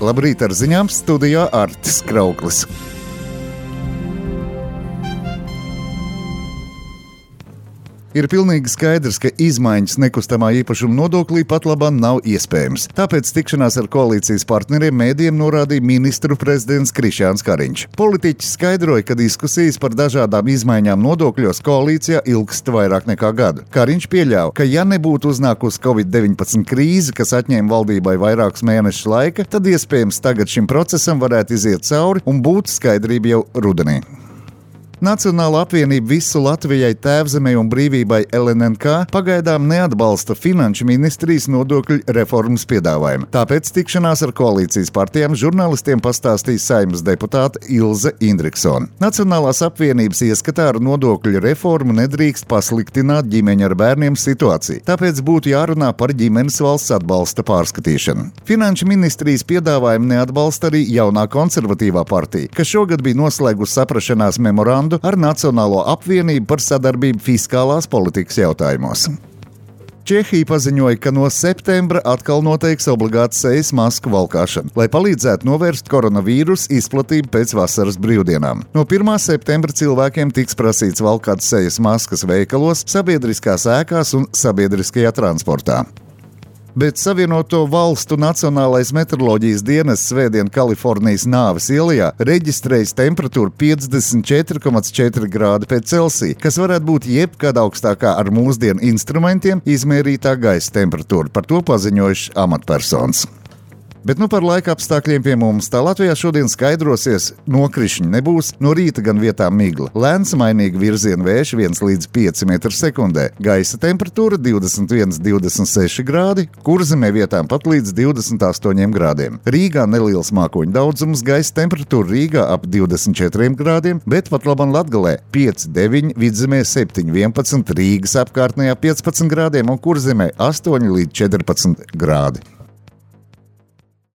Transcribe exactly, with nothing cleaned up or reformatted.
Labrīt ar ziņām, studijā Artis Krauklis. Ir pilnīgi skaidrs, ka izmaiņas nekustamā īpašuma nodoklī pat labāk nav iespējams. Tāpēc tikšanās ar koalīcijas partneriem mēdījiem norādīja ministru prezidents Krišjāns Kariņš. Politiķis skaidroja, ka diskusijas par dažādām izmaiņām nodokļos koalīcijā ilgst vairāk nekā gadu. Kariņš pieļāva, ka ja nebūtu uznākusi covid deviņpadsmit krīze, kas atņēma valdībai vairākus mēnešus laika, tad iespējams tagad šim procesam varētu iziet cauri un būtu skaidrība jau rudenī. Nacionāla apvienība Visu Latvijai, Tēvzemei un brīvībai L N N K pagaidām neatbalsta Finanšu ministrijas nodokļu reformas piedāvājumu. Tāpēc tikšanās ar koalīcijas partijām žurnālistiem pastāstīja Saeimas deputāte Ilze Indriksone. Nacionālās apvienības ieskatā ar nodokļu reformu nedrīkst pasliktināt ģimeņu ar bērniem situāciju, tāpēc būtu jārunā par ģimenes valsts atbalsta pārskatīšanu. Finanšu ministrijas piedāvājumu neatbalsta arī jaunā konservatīvā partija, kas šogad bija noslēgusi saprašanās memorandu ar Nacionālo apvienību par sadarbību fiskālās politikas jautājumos. Čehija paziņoja, ka no septembra atkal noteiks obligātu sejas masku valkāšanu, lai palīdzētu novērst koronavīrusu izplatību pēc vasaras brīvdienām. No pirmā septembra cilvēkiem tiks prasīts valkāt sejas maskas veikalos, sabiedriskās ēkās un sabiedriskajā transportā. Bet Savienoto Valstu Nacionālais meteoroloģijas dienests svētdien Kalifornijas Nāves ielā reģistrējis temperatūru piecdesmit četri komats četri grādi pēc Celsija, kas varētu būt jebkad augstākā ar mūsdienu instrumentiem izmērītā gaisa temperatūra. Par to paziņojuši amatpersonas. Bet nu par laika apstākļiem pie mums. Tā Latvijā šodien skaidrosies, nokrišņi nebūs, no rīta gan vietām migla. Lēns mainīgi virziena vējš viens līdz pieci metri sekundē. Gaisa temperatūra divdesmit viens līdz divdesmit seši grādi, Kurzemē vietām pat līdz divdesmit astoņiem grādiem. Rīgā neliels mākoņu daudzums, gaisa temperatūra Rīgā ap divdesmit četriem grādiem, bet pat labam Latgalē pieci deviņi, Vidzemē septiņi vienpadsmit, Rīgas apkārtnējā piecpadsmit grādiem un Kurzemē astoņi līdz četrpadsmit grādi.